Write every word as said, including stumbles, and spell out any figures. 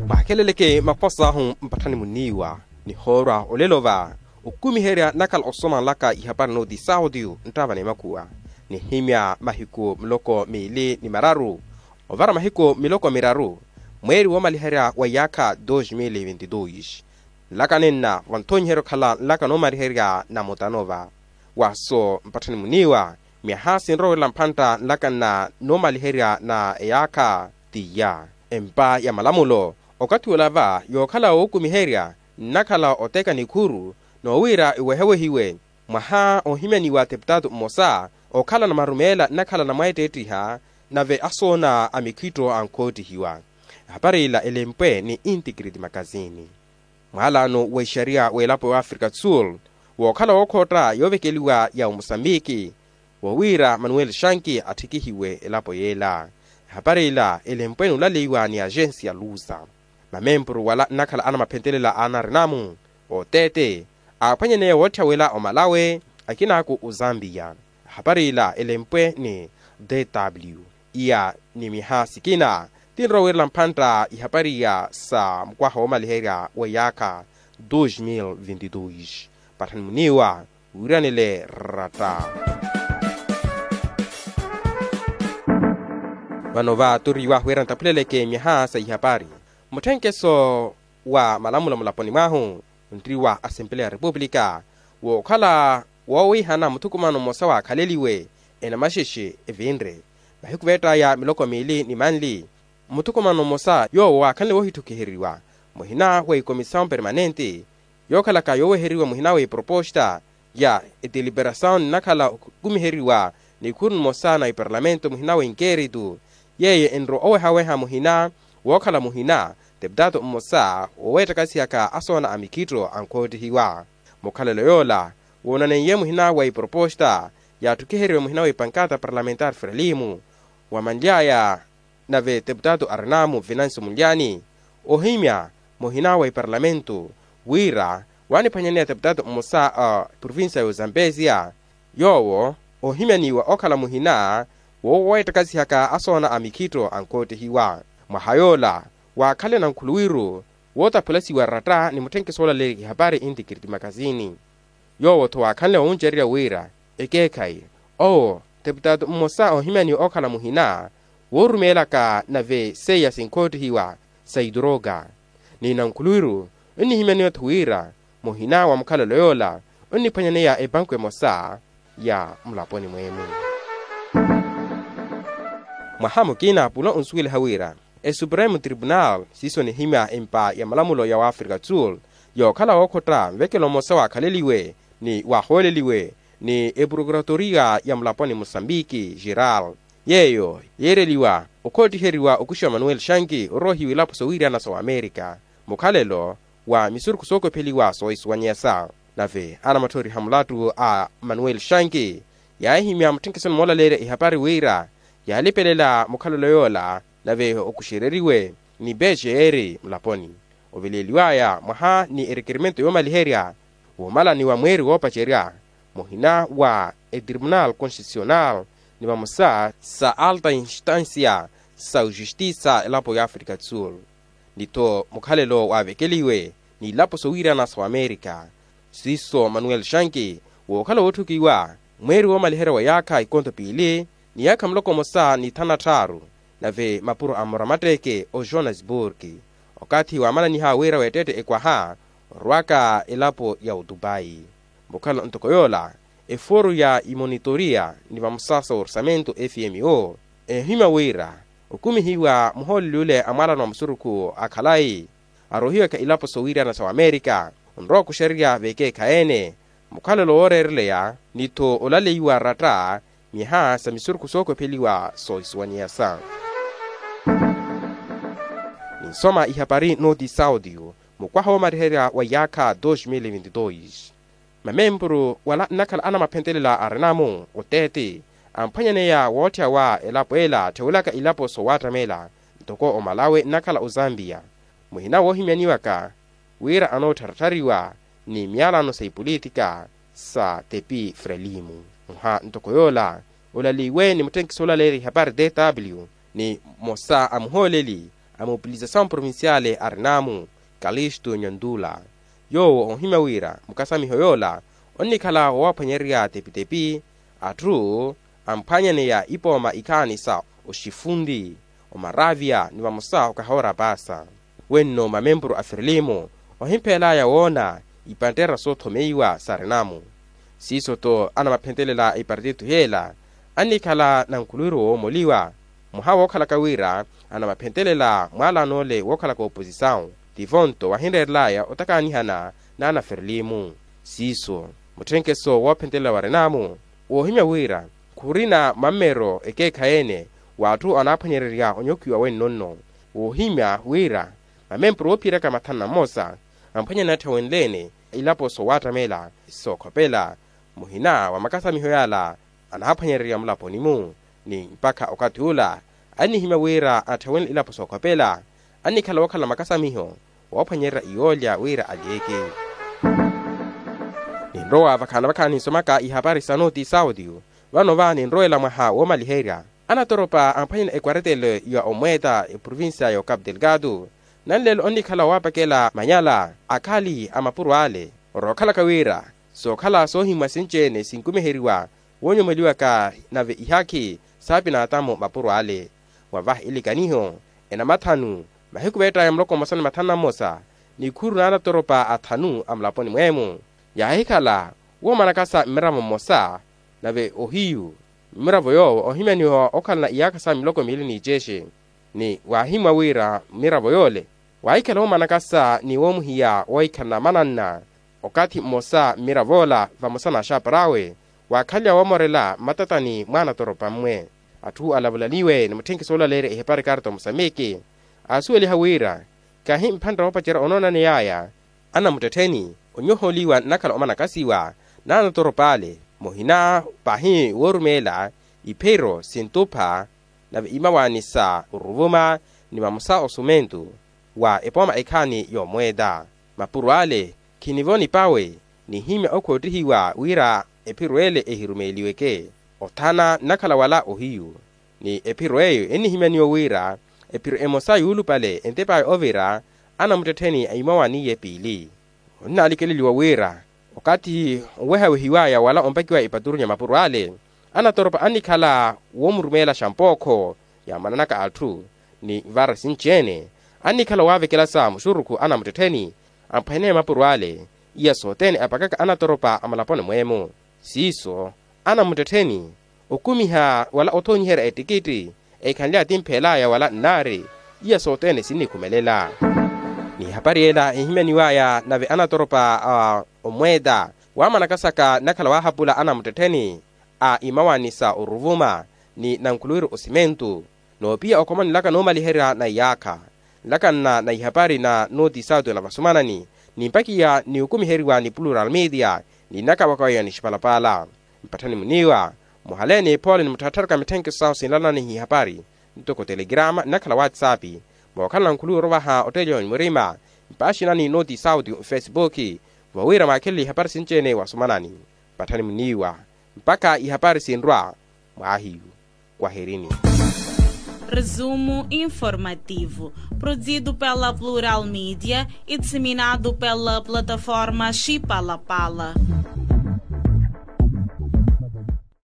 Mwakheleleke makhos'ahu mpatthani muniiwa nihoorwa olelo va okumiherya nakhala osoma nlaka ihapari nooti sautiyu nttava n'emakhuwa nihimya mahiku miloko miili ni mararu ovara mahiku miloko miraru mweeri woomaliherya wa iyaakha dos mil e vinti dos. Nlaka nenna vanthonyiherya okhala nlaka noomaliherya na mutano va waso mpatthani muniiwa myaha sinrowerela mphantta nlaka nna noomaliherya na eyaakha. Tiya empa ya malamulo okathi ola va yookhala wookumiherya nnakhala oteeka nikhuru noowiira iwehewehiwe mwaha ohimyaniwa teputatu mmosa okhala na marumeela nnakhala na mweetteettiha nave asoona a mikhitto ankoottihiwa. Ehapari ila elempwe ni integrity makazini. Mwaalano wa ixariya w'elapo y'afrika sul wookhala wookhootta yoovekeliwa ya omusambiki wowiira manuel shanki atthikihiwe elapo yeela. Ehapari ila elempwe n'ulaleiwa ni agensi ya lusa mamempuru wala nnakhala anamaphentelela a anarinamu oteete aaphwanyaneya wootthya wela omalawe akinaaku ozambiya. Ehapari ila elempwe ni dw iya ni miha sikina tinrowerela mphantta ihapari iya sa mukwaha woomaliherya wa iyaakha dos mil vinti dos. Patthani muniiwa wiiranele ratta. Vano va turiiwahu wira ntaphuleleke myaha sa ihapari mutthenkeso wa malamulo mulaponi mwahu nriwa asempele ya repupulika wookhala woowihana muthukumano mmosa waakhaleliwe enamaxexe evinre mahiku veett'aya miloko miili ni manli. Muthukumano mmosa yoowo waakhanle woohitthukiheriwa muhina wa ikomisawu permanente yookhalaka yooweheriwa muhina wa iproposta ya etiliperasawu nnakhala okumiheriwa nikhuru nimosa na iparlamento muhina wa inkeritu yeeyo enro owehaweha muhina wookhala muhina teputato mmosa wooweettakasihaka asoona a mikhitto ankoottihiwa. Mukhalelo yoola woonaneiye muhina wa iproposta yaatthukhiheriwe muhina wa ipankata parlamentari frelimu wamanly'aya nave teputato arinamu venancio munlyani ohimya muhina wa iparlamento wira waaniphwanyaneya teputato mmosa a provincia ya ozambesia yoowo ohimyaniwa okhala muhina wooweettakasihaka asoona a mikhitto ankoottihiwa. Mwaha yoola waakhanle na nkhuluwiru wootaphulasiwa ratta ni mutthenkeso oolaleerya ihapari intikiriti makazini yoowo-tho waakhanle wowuncererya wira ekeekhayi owo teputato mmosa oohimyaniwa okhala muhina woorumeelaka nave seiya sinkoottihiwa sa iturooka ni nankhuluwiru onnihimyaniwa-tho wira muhina wa mukhalelo yoola onniphwanyaneya epanku emosa ya mulaponi mweemu. Mwaha mukina pula onsuweliha wira esupremo tripunal siiso nihimya empa ya malamulo ya waafrika sul yookhala wookhotta nvekelo mmosa waakhaleliwe ni waahooleliwe ni eprokuratoria ya mulaponi musambiki geral yeeyo yeereliwa okhoottiheriwa okuxiwa manuel shanki oroohiwa ilapo sowiirana sa wamerika mukhalelo wa misurukhu sookopheliwa soohisuwanyeyasa. Nave anamatthoriha mulattu a manuel shanki yaahihimya mutthenkeso nimoolaleerya ihapari wira yaalipelela mukhalelo yoola nave okuxereriwe ni peceeri mulaponi oveleeliw'aya mwaha ni erekerimento yoomaliherya woomalaniwa mweeri woopacerya muhina wa etripunal constitucional ni vamosa sa alta instansia sa ojustisa elapo y'afrika sul ni-tho mukhalelo waavekeliwe n'ilapo sowiirana sa wamerika siiso manuel shanki wookhala wootthukiwa mweeri woomaliherya wa yaakha ikonto piili ni yaakha muloko mmosa ni thanu na tthaaru nave mapuro a mmoramatteeke ojohannesburg okathi waamalaniha wira weetteette ekwaha orwaka elapo ya otupayi. Mukhala ntoko yoola eforu ya imonitoria ni vamosa sa orsamento fmo eehimya wira okumihiwa muhooleli ule a mwaalano wa musurukhu a khalayi aroohiwaka ilapo sowiirana sa wamerika onrowa okuxererya vekeekhayi-ene mukhalelo wooreereleya ni-tho olaleiwa ratta myaha sa misurukhu sookopheliwa soohisuwanyeyasa. Ninsoma ihapari nooti saudio mukwaha woomariherya wa iyaakha dos mil vinti dos mamempuru wala nnakhala anamaphentelela arinamu oteete amphwanyaneya wootthyaawa elapo ela atthewelaka ilapo soowaattamela ntoko omalawe nnakhala ozambiya muhina woohimyaniwaka wira anoottharatthariwa ni myalano sa ipolitika sa tepi frelimu. Mwaha ntoko yoola olaliwe ni mutthenkiso olaleerya ihapari tw ni mmosa a muhooleli a mobilizasawu provinciale arinaamu, kalistu nyantula, yoowo oohimya wira mukasamiho yoola onnikhala woowaphwanyererya tepitepi atthu amphwanyaneya ipooma ikhaani sa oxifunti, omaravya ni vamosa okahoora paasa. Wenno mamempuru a firilimu ohimpheelaya woona ipanttera soothomeiwa sa rinamu. Siiso-tho anamaphentelela ipartithu yeela annikhala nankhuluwiru woomoliwa, mwaha wookhalaka wira anamaphentelela mwaalanoole wookhalaka oposisawu, tivo-nto wahinreerelaya otakaanihana n'anafirilimu. Siiso mutthenkeso woophentelela wa rinamu woohimya wira khurina mammero ekeekhayi-ene w'atthu anaaphwanyererya onyokhiwa wenno-nno. Woohimya wira mamempuru oophiyerya ka mathanu na mmosa amphwanyana attawenle-ene ilapo soowattamela sookhopela muhina wa makasamiho yaala anaaphwanyererya mulaponi-mu. Ni mpakha okathi ula annihimya wira attawenle ilapo sookhopela annikhala wookhala makasamiho woophwanyererya iyoolya wira alyeeke. Ninrowa vakhaani vakhaani ninsomaka ihapari sa noti saudio. Vano va ninrowela mwaha woomaliherya anatoropa amphwanyana ekwaretelo ya omweeta eprovincia ya ocapu delgado. Nanleelo onnikhala waapakela manyala akhali a mapuro ale orookhalaka wira sookhala soohimwa sinci-ene sinkumiheriwa woonyomoliwaka nave ihakhi saapinaatamo mapuro ale. Mwavaha ilikaniho enamathanu mahiku veettaya muloko mmosa ni mathanu na mmosa nikhuru n'anatoropa athanu a mulaponi mweemo yaahikhala woomanakasa mmiravo mmosa nave ohiyu mmiravo yoowo oohimyaniwa okhalana iyaakha sa miloko miili n'icexe. Ni waahimwa wira mmiravo yoole waahikhala woomanakasa ni woomuhiya woohikhalana mananna okathi mmosa mmirav'ola vamosa n'axapar'awe waakhalya woomorela mmatatani mwaanatoropa mmwe. Atthu alavulaliwe ni mutthenkiso oolaleerya ihepari karta omusamiki aasuweliha wira kahi mphantta woopacerya onoonaney'aya anamuttettheni onyoholiwa nnakhala omanakasiwa n'anatorop'ale muhina pahi woorumeela iphiro sintupha nave imawaani sa oruvuma ni vamosa osumentu wa epooma ekhaani yoomweeta. Mapuro ale khinivo nipawe nihimya okhoottihiwa wira ephiro ele ehirumeeliweke othana nnakhala wala ohiyu. Ni ephiro eyo ennihimyaniwa wira ephiro emosa yuulupale entep'aya ovira anamuttettheni a imawaani-ye piili. Onnalikeleliwa wira okathi owehawehiw'aya wala ompakiw'aya epaturu nya mapuro ale anatoropa annikhala woomurumeelaxa mpookho yaamananaka atthu ni vara sinci-ene annikhala waavekelasa muxurukhu anamuttettheni amphwaneya mapuro ale iya sothene apakaka anatoropa a mulaponi mweemo. Siiso anamuttettheni okumiha wala othoonyiherya ettikitti ekhanly'aya timpheel'aya wala nnaari iya sothene sinnikhumelela. N'ihapari ela ehimyaniw'aya nave anatoropa a omweeta waamanakasaka nnakhala waahapula anamuttettheni a imawaani sa oruvuma ni nankhuluwiru osimentu noopiya okhoma nlaka noomaliherya na iyaakha nlaka nna na ihapari na nooti sauti na vasumanani ni mpakiya ni okumiheriwa ni plural media ni nnakavaka weyo ni xipalapala. Mpatthani muniiwa muhaleeni phoole ni mutthattharuka mitthenkiso sahu sinlanani hihapari ntoko telegrama nnakhala whatsapp mookhalana nkhuluwi orovaha otteeliwa ni murima mpaaxinani nooti sauti mfesipuki vo wira mwaakhelele ihapari sinci-ene wasumanani. Mpatthani muniiwa mpakha ihapari sinrwa mwaahiyu. Kwaherini. Resumo informativo, produzido pela Plural Media e disseminado pela plataforma Xipalapala.